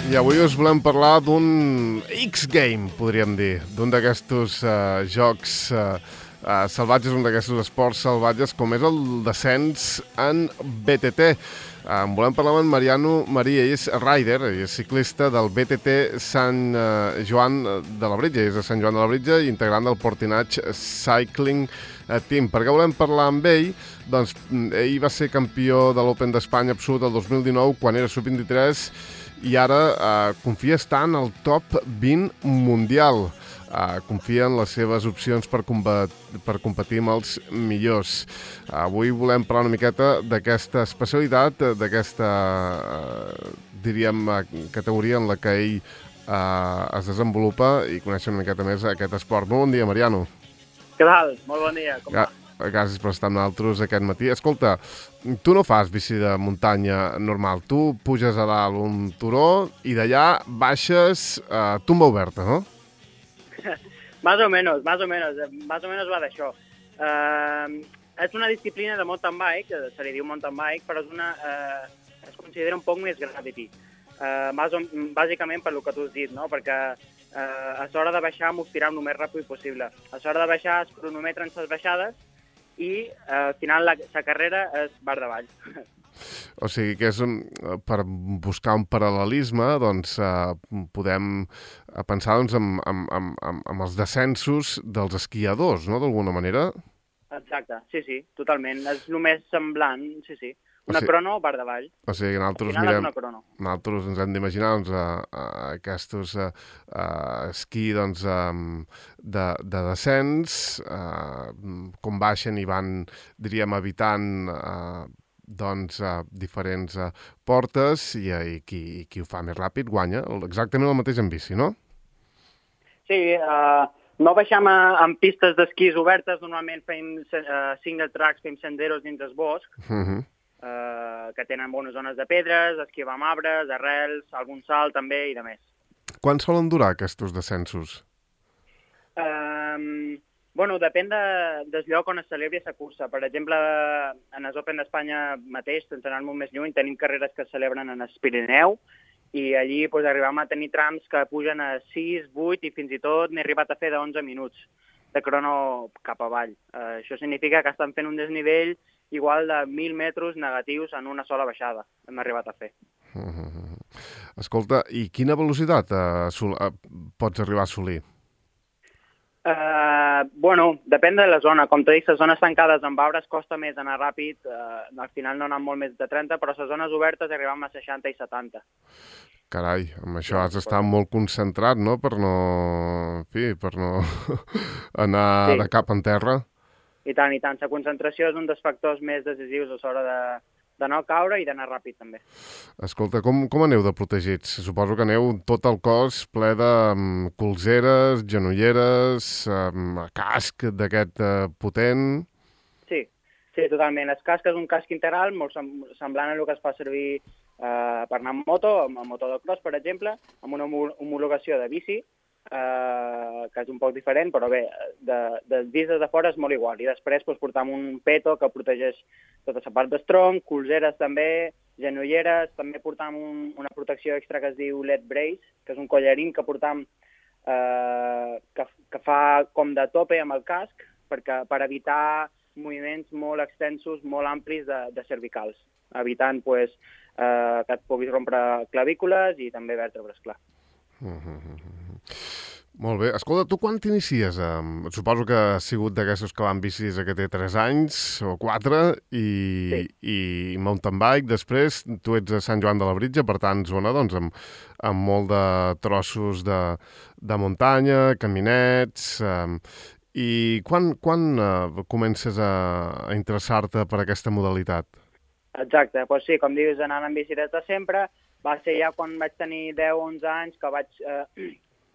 I avui us volem parlar d'un X-Game, podríem dir, d'un d'aquestos jocs salvatges, un d'aquestos esports salvatges, com és el descens en BTT. En volem parlar amb en Mariano Maria, ell és rider, ell és ciclista del BTT Sant Joan de la Britja, és de Sant Joan de la Britja, integrant del Portinatge Cycling Team. Per què volem parlar amb ell? Doncs ell va ser campió de l'Open d'Espanya absolut el 2019, quan era sub-23, i ara confia estar en el top 20 mundial. Confia en les seves opcions per competir amb els millors. Avui volem parlar una miqueta d'aquesta especialitat, d'aquesta, diríem, categoria en la que ell es desenvolupa i conèixer una miqueta més aquest esport. Molt bon dia, Mariano. Què tal? Molt bon dia. Com va? Gràcies per estar amb nosaltres aquest matí. Escolta, tu no fas bici de muntanya normal. Tu puges a dalt un turó i d'allà baixes tumba oberta, no? Más o menos va d'això. És una disciplina de mountain bike, se li diu mountain bike, però es considera un poc més gravity. Bàsicament per lo que tu has dit, no? Perquè a l'hora de baixar m'ho tirem el més ràpid possible. A l'hora de baixar es cronometren les baixades i al final la carrera és bar davall. O sigui que és per buscar un paral·lelisme, doncs podem pensar doncs, en els descensos dels esquiadors, no?, d'alguna manera. Exacte, sí, totalment. És el més semblant, sí. Una crono bar davall. O sigui que nosaltres ens hem d'imaginar aquests esquí de descens, com baixen i van, diríem, evitant diferents portes i qui ho fa més ràpid guanya. Exactament el mateix en bici, no? Sí, no baixem en pistes d'esquís obertes, normalment fem single tracks, fem senderos dins el bosc, que tenen bones zones de pedres, esquí amb arbres, arrels, algun salt també i de més. Quan solen durar aquests descensos? Depèn del lloc on es celebri la cursa. Per exemple, en el Open d'Espanya mateix, sense anar molt més lluny, tenim carreres que es celebren en el Pirineu i allí arribam a tenir trams que pugen a 6, 8 i fins i tot n'he arribat a fer de 11 minuts de crono cap avall. Això significa que estan fent un desnivell igual de 1.000 metres negatius en una sola baixada. Hem arribat a fer. Escolta, i quina velocitat pots arribar a assolir? Depèn de la zona. Com t'he dit, les zones tancades amb arbres costa més anar ràpid. Al final no anem molt més de 30, però les zones obertes arribem a 60 i 70. Carai, amb això has d'estar molt concentrat, no?, per no anar de cap en terra. I tant. La concentració és un dels factors més decisius a l'hora de no caure i d'anar ràpid, també. Escolta, com aneu de protegits? Suposo que aneu tot el cos ple de colzeres, genolleres, casc d'aquest potent... Sí, totalment. El casc és un casc integral, molt semblant a el que es fa servir per anar amb moto, amb moto de cross, per exemple, amb una homologació de bici, que és un poc diferent, però bé, dels vist des de fora és molt igual. I després portam un peto que protegeix tota la part del tronc, colzeres també, genolleres, també portam una protecció extra que es diu LED Brace, que és un collarín que portam que fa com de tope amb el casc per evitar moviments molt extensos, molt amplis de cervicals, evitant que et puguis rompre clavícules i també vèrtebres, clar. Molt bé. Escolta, tu quan t'inicies? Suposo que has sigut d'aquestos que van bicis que té 3 anys o 4 i mountain bike. Després tu ets a Sant Joan de la Britja, per tant, zona amb molt de trossos de muntanya, caminets... I quan comences a interessar-te per aquesta modalitat? Exacte, doncs sí, com dius, anant amb bici des de sempre. Va ser ja quan vaig tenir 10 o 11 anys que vaig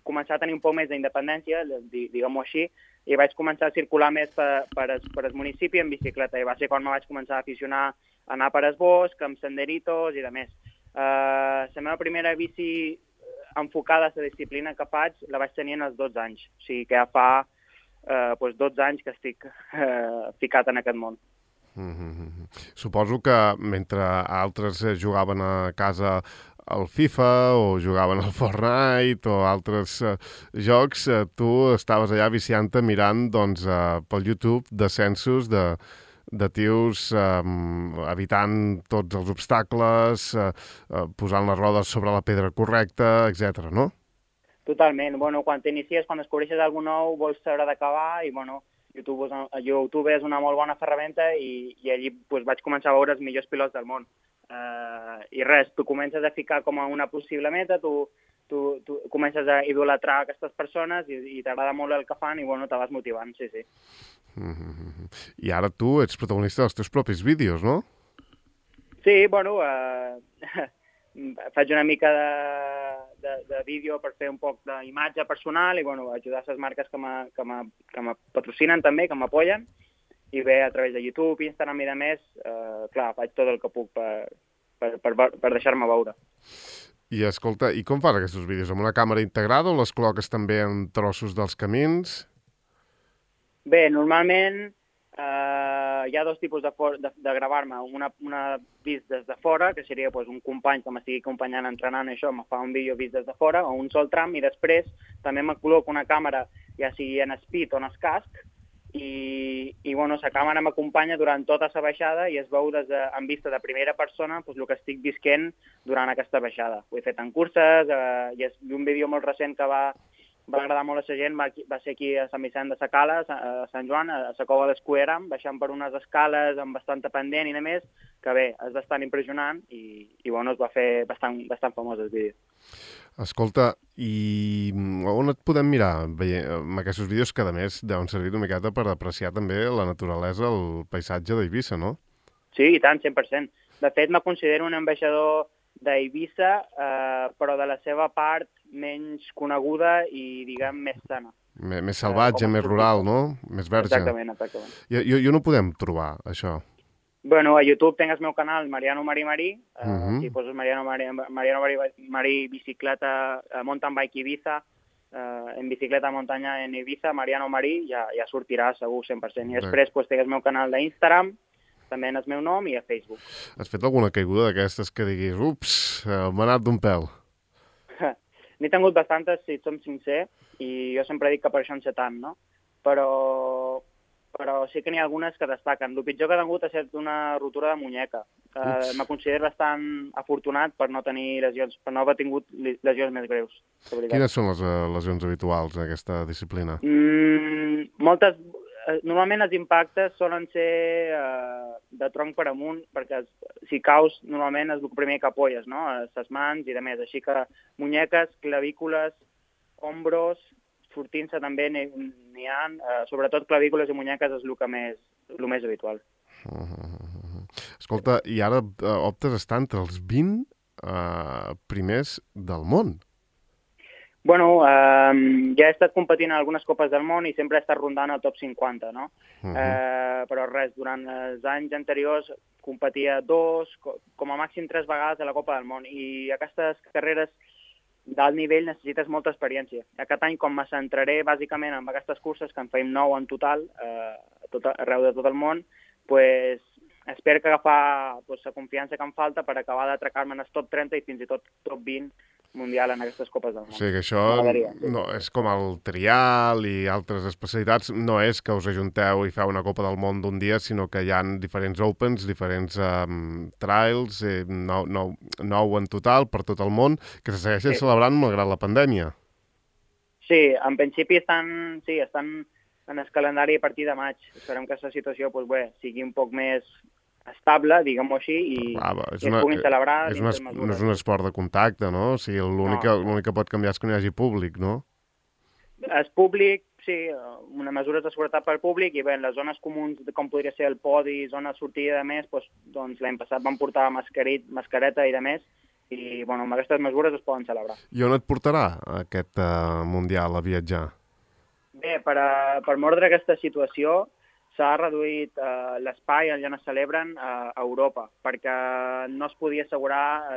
començar a tenir un poc més d'independència, diguem-ho així, i vaig començar a circular més per el municipi en bicicleta. I va ser quan me vaig començar a aficionar a anar per el bosc, amb senderitos i de més. La meva primera bici enfocada a la disciplina que faig la vaig tenir als 12 anys. O sigui que ja fa 12 anys que estic ficat en aquest món. Suposo que mentre altres jugaven a casa al FIFA o jugaven al Fortnite o altres jocs, tu estaves allà viciant-te mirant doncs, pel YouTube descensos de tios evitant tots els obstacles, posant les rodes sobre la pedra correcta, etc. no? Totalment. Bueno, quan t'inicies, quan descobreixes alguna nou, vols saber d'acabar i, bueno, YouTube és una molt bona ferramenta i allí pues, vaig començar a veure els millors pilots del món. I res, tu comences a ficar com a una possible meta, tu comences a idolatrar aquestes persones i t'agrada molt el que fan i, bueno, te vas motivant, sí. I ara tu ets protagonista dels teus propis vídeos, no? Sí, bueno, faig una mica de vídeo per fer un poc d'imatge personal i, bueno, ajudar les marques que me patrocinen també, que m'apoyen, i bé, a través de YouTube, Instagram i de més, clar, faig tot el que puc per deixar-me veure. I escolta, i com fas aquests vídeos? Amb una càmera integrada o les col·loques també en trossos dels camins? Bé, normalment hi ha dos tipus de gravar-me. Una vist des de fora, que seria pues, un company que m'estigui acompanyant entrenant això, me fa un vídeo vist des de fora, o un sol tram, i després també me col·loco una càmera, ja sigui en speed o en casc, i bueno, la càmera m'acompanya durant tota la baixada i es veu en vista de primera persona pues, el que estic visquent durant aquesta baixada. Ho he fet en curses, i és un vídeo molt recent que va agradar molt a la gent, va ser aquí a Sant Vicent de Sacala, a Sant Joan, a la cova d'Escuera, baixant per unes escales amb bastanta pendent i de més, que bé, és bastant impressionant i bueno, es va fer bastant famós el vídeo. Escolta, i on et podem mirar amb aquests vídeos que, a més, deuen servir una miqueta per apreciar també la naturalesa, el paisatge d'Eivissa, no? Sí, i tant, 100%. De fet, me considero un ambaixador d'Eivissa, però de la seva part menys coneguda i, diguem, més sana. Més salvatge, més rural, no? Més verge. Exactament. I on ho podem trobar, això? Bueno, a YouTube tinc el meu canal, Mariano Marí Marí. Si poses Mariano Marí bicicleta, mountain bike Ibiza, en bicicleta de muntanya en Ibiza, Mariano Marí, ja sortirà segur 100%. I després tinc el meu canal d'Instagram, també en el meu nom, i a Facebook. Has fet alguna caiguda d'aquestes que diguis, ups, m'ha anat d'un pèl? N'he tingut bastantes, si et som sincer, i jo sempre dic que per això en sé tant, no? Però sí que n'hi ha algunes que destaquen. El pitjor que he tingut ha estat una rotura de muñeca. Me considero bastant afortunat per no tenir lesions, per no haver tingut lesions més greus. Quines són les lesions habituals en aquesta disciplina? Moltes. Normalment els impactes solen ser de tronc per amunt, perquè si caus normalment és el primer que apoyes, no? Les mans i de més. Així que muñeques, clavícules, ombros, sortint-se també n'hi ha, sobretot clavícules i muñeques és el més habitual. Escolta, i ara optes a estar entre els 20 primers del món. Bueno, ja he estat competint en algunes copes del món i sempre he estat rondant el top 50, no? Però res, durant els anys anteriors competia 2, com a màxim 3 vegades a la Copa del Món, i aquestes carreres d'alt nivell necessites molta experiència. Aquest any, com me centraré bàsicament en aquestes curses, que en feim 9 en total, arreu de tot el món, pues, espero que agafar la confiança que em falta per acabar d'atracar-me en el top 30 i fins i tot top 20 mundial en aquestes copes del món. O sigui que això no és com el trial i altres especialitats, no és que us ajunteu i feu una Copa del Món d'un dia, sinó que hi ha diferents Opens, diferents trials, 9 en total per tot el món, que se segueixen celebrant malgrat la pandèmia. Sí, en principi estan en el calendari a partir de maig. Esperem que aquesta situació sigui un poc més estable, diguem-ho així, i es puguin celebrar. No és un esport de contacte, no? O sigui, l'únic que pot canviar és que no hi hagi públic, no? És públic, sí, una mesura de seguretat per públic, i bé, en les zones comuns, com podria ser el podi, zona de sortida i de més, doncs l'any passat van portar mascareta i de més, i bueno, amb aquestes mesures es poden celebrar. I on et portarà aquest Mundial a viatjar? Bé, per mordre aquesta situació, s'ha reduït l'espai on es celebren a Europa, perquè no es podia assegurar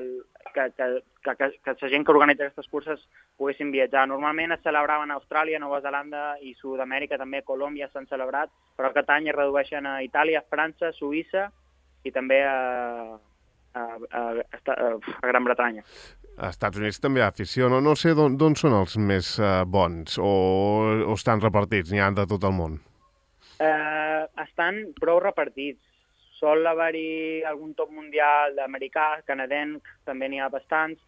que la gent que organitza aquestes curses poguessin viatjar. Normalment es celebraven a Austràlia, Nova Zelanda i Sud-amèrica, també a Colòmbia s'han celebrat, però aquest any es redueixen a Itàlia, França, Suïssa i també a Gran Bretanya. Als Estats Units també hi ha afició, no? No sé d'on són els més bons o estan repartits, n'hi ha de tot el món. Estan prou repartits. Sol haver-hi algun top mundial d'americà, canadenc, també n'hi ha bastants,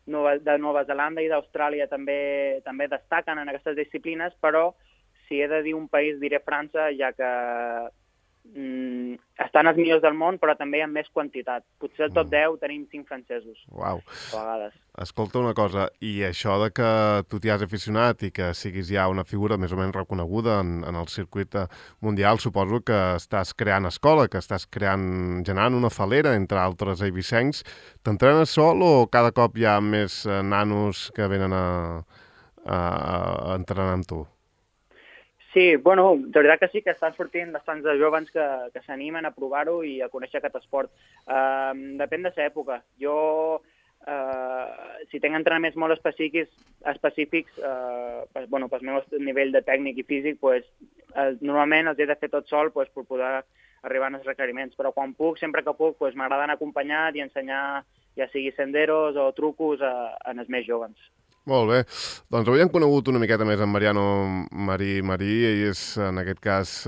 de Nova Zelanda i d'Austràlia també destaquen en aquestes disciplines, però si he de dir un país diré França, ja que estan els millors del món, però també en més quantitat. Potser al top 10 tenim 5 francesos. Uau. A vegades. Escolta una cosa, i això de que tu t'hi has aficionat i que siguis ja una figura més o menys reconeguda en el circuit mundial, suposo que estàs creant escola, que estàs generant una falera, entre altres eivissencs. T'entrenes sol o cada cop hi ha més nanos que venen a entrenar amb tu? Sí, bueno, de veritat que sí, que estan sortint bastants de joves que s'animen a provar-ho i a conèixer aquest esport. Depèn de l'època. Jo, si tinc entrenaments molt específics, pel meu nivell de tècnic i físic, normalment els he de fer tot sol per poder arribar als requeriments. Però quan puc, sempre que puc, m'agrada anar acompanyat i ensenyar, ja sigui senderos o trucos, als més joves. Molt bé. Doncs avui hem conegut una miqueta més en Mariano Marí. Ell és, en aquest cas,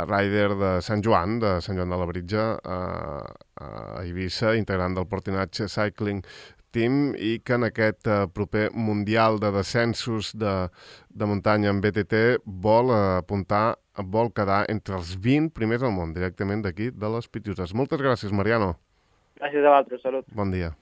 rider de Sant Joan de Labritja, a Eivissa, integrant del Portinatge Cycling Team, i que en aquest proper Mundial de Descensos de muntanya en BTT vol quedar entre els 20 primers al món, directament d'aquí, de les Pitiuses. Moltes gràcies, Mariano. Gràcies a vosaltres, salut. Bon dia.